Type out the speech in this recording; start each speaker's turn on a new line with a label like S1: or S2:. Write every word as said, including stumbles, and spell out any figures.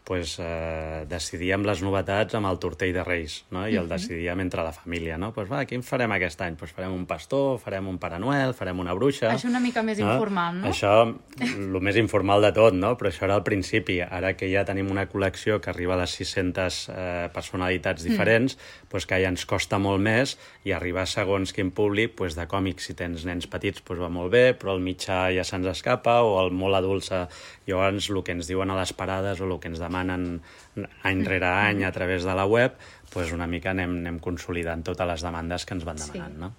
S1: pues, eh, decidíem les novetats amb el tortell de Reis, no? I el decidíem entre la família, no? Pues va, quin farem aquest any? Pues farem un pastor, farem un Pare Noel, farem una bruixa...
S2: Això una mica més
S1: no?
S2: informal, no?
S1: Això, el més informal de tot, no? Però això era al principi. Ara que ja tenim una col·lecció que arriba a les sis-centes eh, personalitats diferents, mm. pues que ja ens costa molt més i arribar segons quin públic, pues de còmics, si tens nens petits, pues va molt bé, però el mitjà ja se'ns escapa, o el molt adult... Llavors, el que ens diuen a les parades o el que ens demanen any rere any a través de la web, pues una mica anem, anem consolidant totes les demandes que ens van demanant,
S2: sí.
S1: no?